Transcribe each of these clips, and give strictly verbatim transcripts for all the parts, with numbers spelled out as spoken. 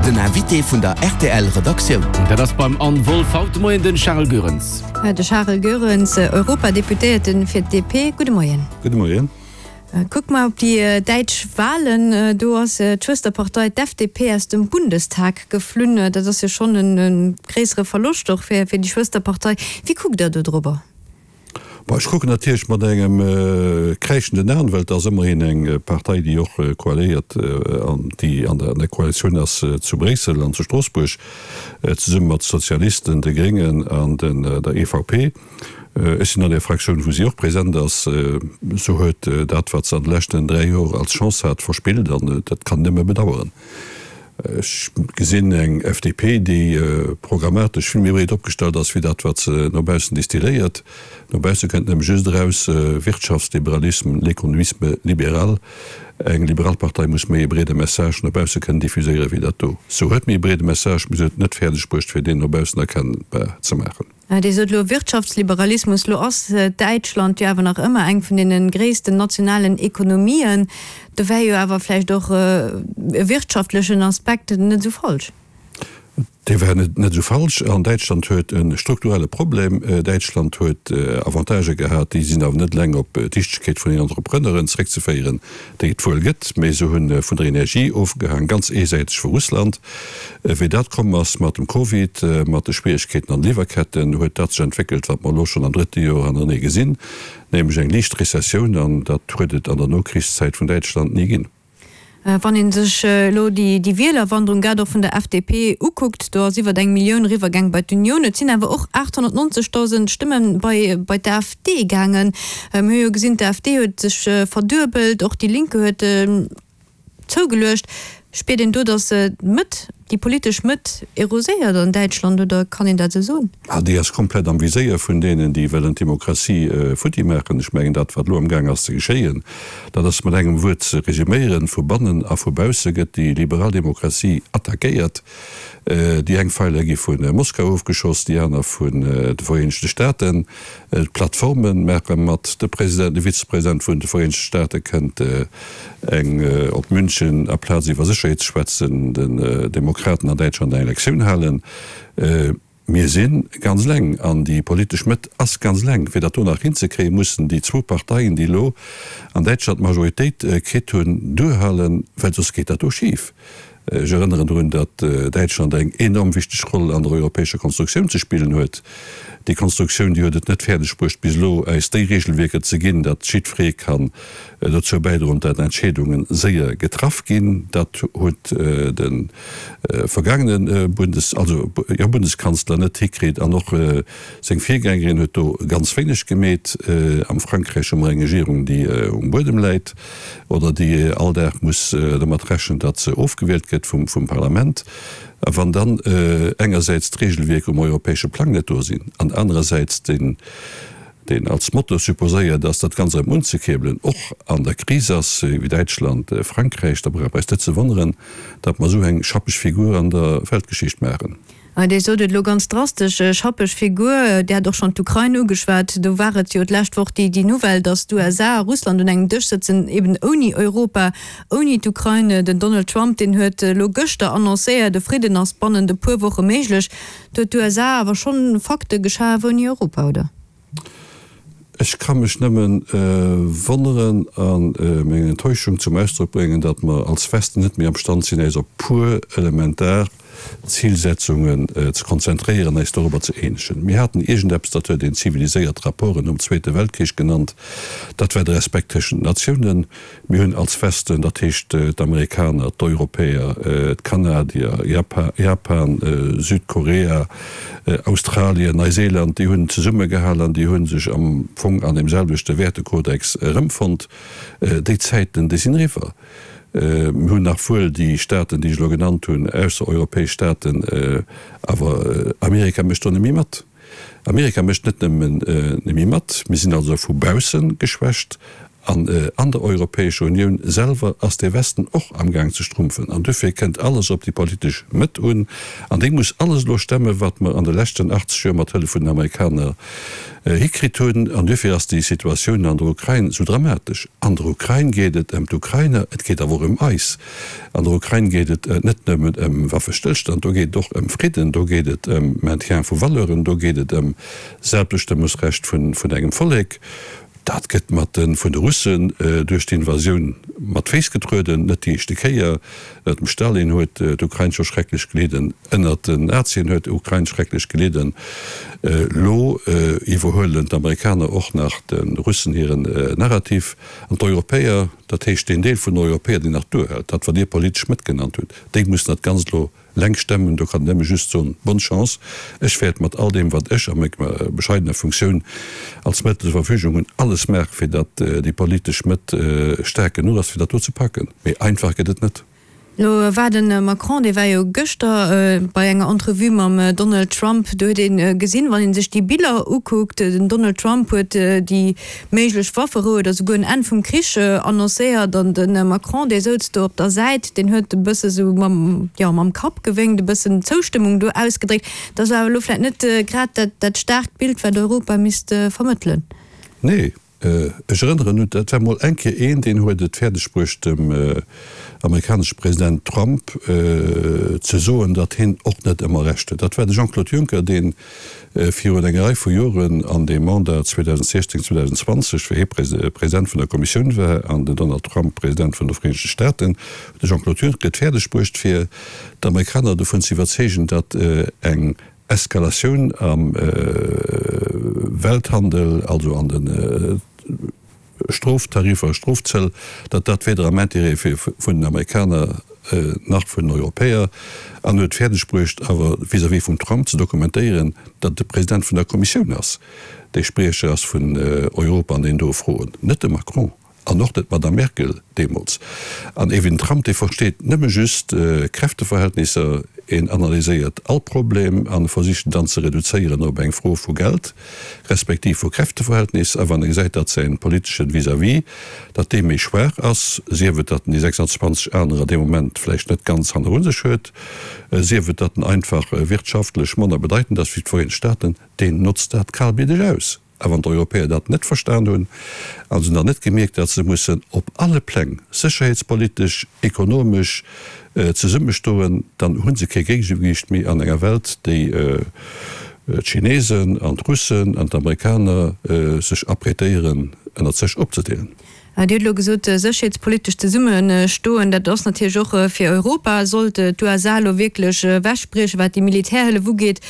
Den Invité vun der R T L Redaktioun. Dat ass beim Anne Wolff haut de Moien den Charles Goerens. De Charles Goerens, Europadeputéierten fir d'D P. Gudde Moien. Gudde Moien. Kucke mer op déi däitsch Walen, do ass d'Schwësterpartei d'F D P aus dem Bundestag geflunn. Dat ass jo schonn e gréissere Verloscht och fir fir déi Schwësterpartei. Wéi kuckt Der do driwwer? Bon, ech kucken natierlech mat engem äh, kräischenden An, well dat ass ëmmerhin eng Partei, déi och äh, koaléiert äh, an déi an der, an der Koalitioun ass äh, zu Bréissel an zu Stroossbuerg äh, zesumme mat Sozialisten, de Gréngen an den, äh, der E V P. Äh, ech sinn an der Fraktioun, wou si och present ass, äh, sou huet äh, dat wat se an de leschten dräi Joer als Chance hat verspillt an äh, dat kann nëmme bedaueren. Ech gesinn eng F D P, déi äh, programmatesch vill méi breet opgestallt ass wéi dat wat se no baussen distilléiert. No bausse kënnt nämlech just eraus äh, Wirtschaftsliberalismus, l'économisme libéral. Eng liberal Partei muss méi e breede Message no bausse kënnen diffuséiere wéi dat do. Se huet méi e breede Message, mee se huet net fäerdeg bruecht fir deen no baussen erkennbar ze maachen. Dir sot lo Wirtschaftsliberalismus, lo ass Däitschland jo awer nach ëmmer eng vun deene gréissten nationalen Ekonomien. Do wär jo awer vläicht och e wirtschaftlechen Aspekt net sou falsch. Dee wär net net sou falsch. An Däitschland huet e strukturelle Problem. Däitschland huet Avantagë gehat, déi sinn awer net eleng op d'Dichtegkeet vun den Entrepreneuren zréckzeféieren, déi et wuel gëtt, mee se hunn vun der Energie ofgehaang, ganz eesäiteg vu Russland. Wéi dat komm ass mat dem Covid, mat de Schwieregkeeten an Liwwerketten, huet dat sech entwéckelt, wat mer lo schonn am drëtte Joer hannerenee gesinn, nämlech eng liicht Rezessioun, an dat huet et an der Nokrichszäit vun Däitschland ni ginn. Wann een sech lo déi déi Wielerwanderung grad och vun der F D P ukuckt, do ass iwwer eng Millioun eriwwergaang bei d'Union. Et sinn awer och aathonnertnonzegdausend Stëmme bei bei d'A F D gaangen. Mir hu jo gesinn, d'A F D huet sech verduebelt, och Die Linke huet zougeluecht. Spiert een do, datt d'Mëtt, déi politesch Mëtt eroséiert an Däitschland, oder kann een dat sou soen? Ah, déi ass komplett am Viséier vun deenen, déi wëllen d'Demokratie futti maachen. Ech mengen, dat wat lo amgaang ass ze geschéien, dat ass mat engem Wuert ze resuméieren: Vu bannen a vu bausse gëtt déi liberal Demokratie attackéiert. Déi eng Feiler gi vu Moskau ofgeschoss, déi aner vun de Vereenegte Staaten. D'Plattforme maache mat, de President, de Vizepresident vun de Vereenegte Staate kënnt eng op München aplaz iwwer Sécherheet ze schwätzen, den Demokraten an Däitschland eng Lektioun halen. Mir si ganz eleng an déi politesch Mëtt ass ganz eleng. Fir dat do nach hinzekréien, mussen déi zwou Parteien, déi lo an Däitschland d'Majoritéit kritt hunn, duerhalen, well soss geet dat do schif. Ech erënneren drun, datt Däitschland eng enorm wichteg Roll an der europäescher Konstruktioun ze spillen huet. Déi Konstruktioun, déi huet et net fäerdeg bruecht bis elo eis déi Regelwierker ze ginn, datt jiddweree kann dozou bäidroen, datt Entscheedunge séier getraff ginn. Dat huet de vergaangene Bundes, also jo, Bundeskanzler net hikritt an och seng Virgängerin huet do ganz wéineg gemeet. Am Frankräich hu mer eng Regierung, déi um Buedem läit oder déi all Dag muss domat rechnen, datt se ofgewielt gëtt vum vum Parlament. A wann dann engersäits d'Regelwierker um europäesche Plang net do sinn an anerersäits den deen als Motto supposéiert ass, dat Ganzt erëm unzekuerbelen, och an der Kris ass, wéi Däitschland, Frankräich, da brauch eis net ze wonneren, datt mer esou eng schappeg Figur an der Weltgeschicht maachen. Dir sot et elo ganz drastesch, schappeg Figur. Dir hat och schonn d'Ukrain ugeschwat. Do war et jo d'lescht Woch déi déi Nouvelle, datt d'U S A a Russland un engem Dësch sëtzen, eben ouni Europa, ouni d'Ukrain. Den Donald Trump, deen huet elo gëschter annoncéiert, e Fridden ass bannent e puer Woche méiglech. Do huet d'U S A awer schonn Fakte geschaf ouni Europa, oder? Ech ka mech nëmmen wonneren a meng Enttäuschung zum Ausdrock bréngen, datt mer als Westen net méi am Stand sinn, eis op puer elementar Zilsetzungen ze konzentréieren, eis dorobber ze eenegen. Mir haten iergendeppes, dat huet een ziviliséiert Rapporten nom Zweete Weltkrich genannt, dat war de Respekt tëschent den Natiounen. Mir hunn als Westen, dat heescht d'Amerikaner, d'Europäer, d'Kanadier, Japan, Südkorea, Australien, Neuseeland, déi hunn zesummegehalen an déi hu sech am Fong an deem selwechte Wäertekodex erëmfonnt. Déi Zäiten, déi sinn eriwwer. Mir hunn nach wuel déi Staaten, déi ech elo genannt hunn, aussereuropäesch Staaten, awer Amerika mécht do net méi mat. Amerika mécht net nëmmen net méi mat, mir sinn also vu bausse geschwächt An an der Europäescher Unioun selwer ass de Westen och amgaang ze schrumpfen. An dofir kënnt alles op déi politesch Mëtt un. An déi muss alles elo stemmen, wat mer an de leschten achtzeg Joer mat Hëllef vun den Amerikaner hikritt hunn. An dofir ass déi Situatioun an der Ukrain esou dramatesch. An der Ukrain geet et ëm d'Ukrainer, et geet awer och ëm eis. An der Ukrain geet et net nëmmen ëm Waffestëllstand, do geet et och ëm Fridden, do geet et ëm Maintien vu Valeuren, do geet et ëm Selbstbestëmmungsrecht vun engem Vollek. Dat gëtt mat de vun de Russen duerch d'Invasioun mat Féiss getrueden, net déi éischte Kéier. Ënnert dem Stalin huet d'Ukrain scho schrecklech gelidden, ënnert den Nazien huet d'Ukrain schrecklech gelidden. Elo iwwerhuelen d'Amerikaner och nach de Russen hiren Narrativ. An d'Europäer, dat heescht deen Deel vun den Europäer, deen nach duerhält, dat wat Dir politesch Mëtt genannt hutt, déi mussen dat Ganzt elo Lenk stemmen, do kann een nëmme just soen, Bonne chance. Ech wäert mat all deem, wat ech a menger bescheidener Funktioun als Mëttel zur Verfügung hunn, alles maachen, fir datt déi politesch Mëtt staark genuch ass, fir dat do ze packen. Mee einfach gëtt et net. Elo war de Macron, dee war jo gëschter bei enger Entrevue mam Donald Trump, do huet ee gesinn, wann ee sech déi Biller ukuckt, den Donald Trump huet déi méiglech Wafferou oder souguer en Enn vum Krich annoncéiert an de Macron, dee souz do op der Säit, deen huet e bësse sou mam, jo, mam Kapp gewénkt, e bëssen Zoustëmmung do ausgedréckt. Dat ass awer elo vläicht net grad dat, dat staarkt Bild, wat Europa misst vermëttelen. Nee, ech erënneren un, dat war mol eng Kéier een, deen huet et fäerdeg bruecht, dem amerikanesche President Trump ze soen, datt hien och net ëmmer Recht huet. Dat war de Jean-Claude Juncker, dee virun enger Rei vu Joren an deem Mandat zweedausendsechzéng, zweedausendzwanzeg, wéi hie President vun der Kommissioun war an den Donald Trump President vun de Vereenegte Staaten, huet de Jean-Claude Juncker et fäerdeg bruecht, fir d'Amerikaner dovun ze iwwerzeegen, datt eng Eskalatioun am Welthandel, also an de Stroftariffer, Strofzëll, datt dat weder am Intérêt wier vun den Amerikaner nach vun den Europäer, an huet fäerdeg bruecht awer vis-à-vis vum Trump ze dokumentéieren, datt de President vun der Kommissioun ass, dee Spriecher ass vun Europa an deenen doe Froen, net de Macron. An och net d'Madame Merkel deemools. An ewen Trump, dee versteet nëmme just Kräfteverhältnisser, en analyséiert all Problem an versicht en dann ze reduzéieren op eng Fro vu Geld, respektiv vu Kräfteverhältnis. A wann e gesäit, datt säin politeschen Vis-à-vis, datt dee méi schwaach ass, sief et, datt en déi sechsundzwanzeg anerer dee Moment vläicht net ganz hanneru sech huet, sief et, datt en einfach wirtschaftlech manner bedeitend ass wéi d'Vereenegt Staaten, deen notzt dat kalbliddeg aus. A wann d'Europäer dat net verstan hunn, a se hunn dat net gemierkt, datt se mussen op alle Pläng, sécherheetspolitesch, ekonomesch, zesummestoen, dann hu se kee Géigegewiicht méi an enger Welt, déi d'Chinesen an d'Russen an d'Amerikaner sech apprêtéieren, ënnert sech opzedeelen. Dir hutt elo gesot, sécherheetspolitesch zesummestoen, dat ass natierlech och fir Europa, sollt d'USA elo wierklech ewechbriechen, wat déi Militärhëllef ugeet,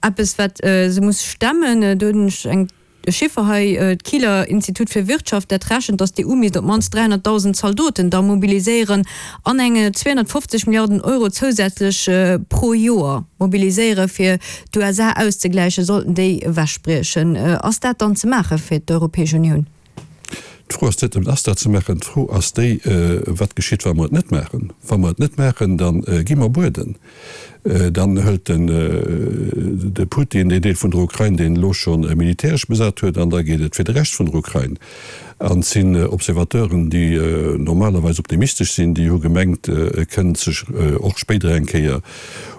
eppes wat se muss stemmen. Do hunn ech eng Chiffer hei, d'Kieler Institut fir Wirtschaft, dat rechent, datt d'EU misst op d'mannst dräihonnertdausend Zaldoten da mobiliséieren an eng zweehonnertfofzeg Milliarden Euro zousätzlech pro Joer mobiliséieren, fir d'USA auszegläichen, sollten déi ewechbriechen. Ass dat dann ze maache fir d'Europäesch Unioun? D'Fro ass net nëmmen, ass dat ze maachen, d'Fro ass déi, wat geschitt, wa mer et net maachen. Wa mer et net maachen, da gi mer bueden. Dann hëlt den de Putin deen Deel vun der Ukrain, deen elo scho militäresch besat huet, an da geet et fir de Rescht vun der Ukrain. An et sinn Observateuren, déi normalerweis optimistesch sinn, déi hu gemengt, e kënnt sech och spéider eng Kéier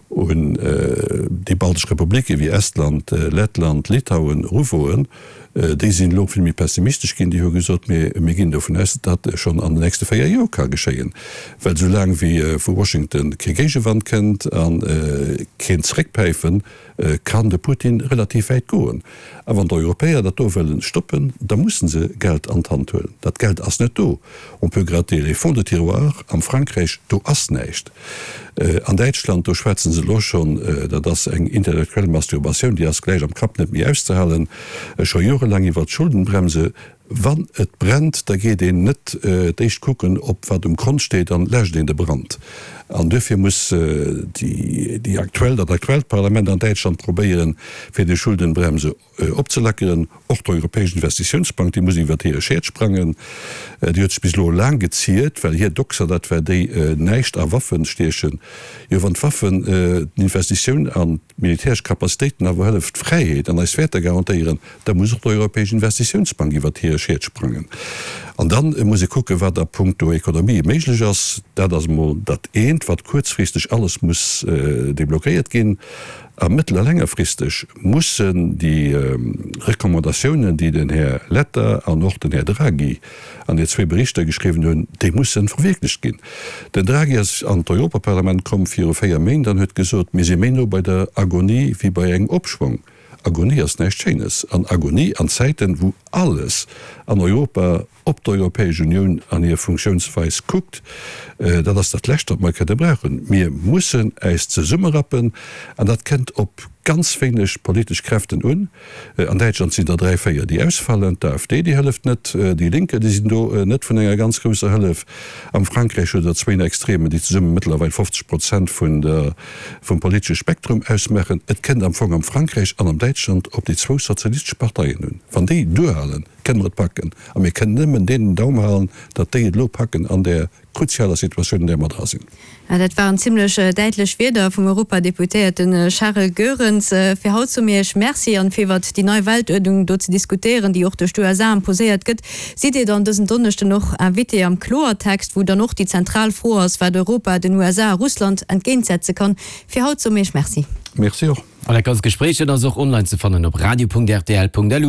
un déi baltesch Republike wéi Estland, Lettland, Litauen eruwoen. Déi sinn elo vill méi pessimistesch ginn. Déi hu gesot, Mir, mir ginn dovun aus, datt dat schonn an den nächste véier Joer ka geschéien. Well esou laang wéi vu Washington kee Géigewand kënnt a keen Zeréckpäifen, kann de Putin relativ wäit goen. A wann d'Europäer dat do wëllen stoppen, da musse se Geld an d'Hand huelen. Dat Geld ass net do. On peut gratter les fonds de tiroir am Frankräich, do ass näischt. An Däitschland, do schwätzen se elo schonn, dat ass eng intellektuell Masturbatioun, déi ass gläich am Kapp net méi auszehalen, scho jorelaang iwwert d'Schuldenbremse. Wann et brennt, da geet een net d'éischt kucken, ob wat um Kont steet, dann läscht een de Brand. An duerfir muss déi aktuell, dat aktuellt Parlament an Däitschland probéieren, fir déi Schuldenbremse opzelackeren. Och d'Europäesch Investitiounsbank, déi muss iwwert hire Schäert sprangen. Déi huet sech bis elo laang geziert, well hir Doxa dat war, déi näischt a Waffen stiechen. Jo, wann d'Waffen d'Investitioun an d'militäresch Capacitéiten awer hëlleft, d'Fräiheet an eis Wäerter garantéieren, da muss och d'Europäesch Investitiounsbank iwwert hir Schied sprangen. An dann muss ee kucken, wat a puncto Ekonomie méiglech ass. Dat ass emol dat eent, wat kuerzfristeg alles muss deblockéiert ginn. A mëttel a längerfristeg mussen déi Recommandatiounen, déi den Här Letta an och den Här Draghi an hir zwee Berichter geschriwwen hunn, déi mussen verwierklecht ginn. Den Draghi ass an d'Europaparlament komm viru véier Méint an huet gesot, Mir si méi no bei der Agonie wéi bei engem Opschwong. Agonie ass näischt Schéines. An Agonie an Zäiten, wou alles an Europa op d'Europäesch Unioun an hir Funktiounsweis kuckt, dat ass dat Lescht, wat mer kënne brauchen. Mir mussen äis zesummerappen, an dat kënnt op ganz wéineg politesch Kräften un. An Däitschland sinn der dräi, véier, déi ausfallen. D'AfD, déi hëlleft net. Déi Linke, déi sinn do net vun enger ganz grousser Hëllef. Am Frankräich hutt Der zwéin Extremen, déi zesumme mëttlerweil fofzeg Prozent vun der, vum politesche Spektrum ausmaachen. Et kënnt am Fong am Frankräich an am Däitschland op déi zwou sozialistesch Parteien un. Wann déi duerhalen, kënne mer et packen. A mir kënnen nëmmen deenen den Daum halen, datt déi et elo packen an där kruzialer Situatioun, an där mer dra sinn. Dat waren zimlech däitlech Wierder vum Europadeputéierte Charel Goerens. Fir haut soe mir Iech Merci. An fir iwwert déi nei Weltuerdnung do ze diskutéieren, déi och duerch d'USA imposéiert gëtt, sidd Dir dann dësen Donneschden och Invité am Kloertext, wou dann och déi zentral Fro ass, wat Europa den USA a Russland entgéintsetze kann. Fir haut soe mir Iech Merci. Merci och. An dat ganzt Gespréich, dat ass och online ze fannen op radio.rtl.lu.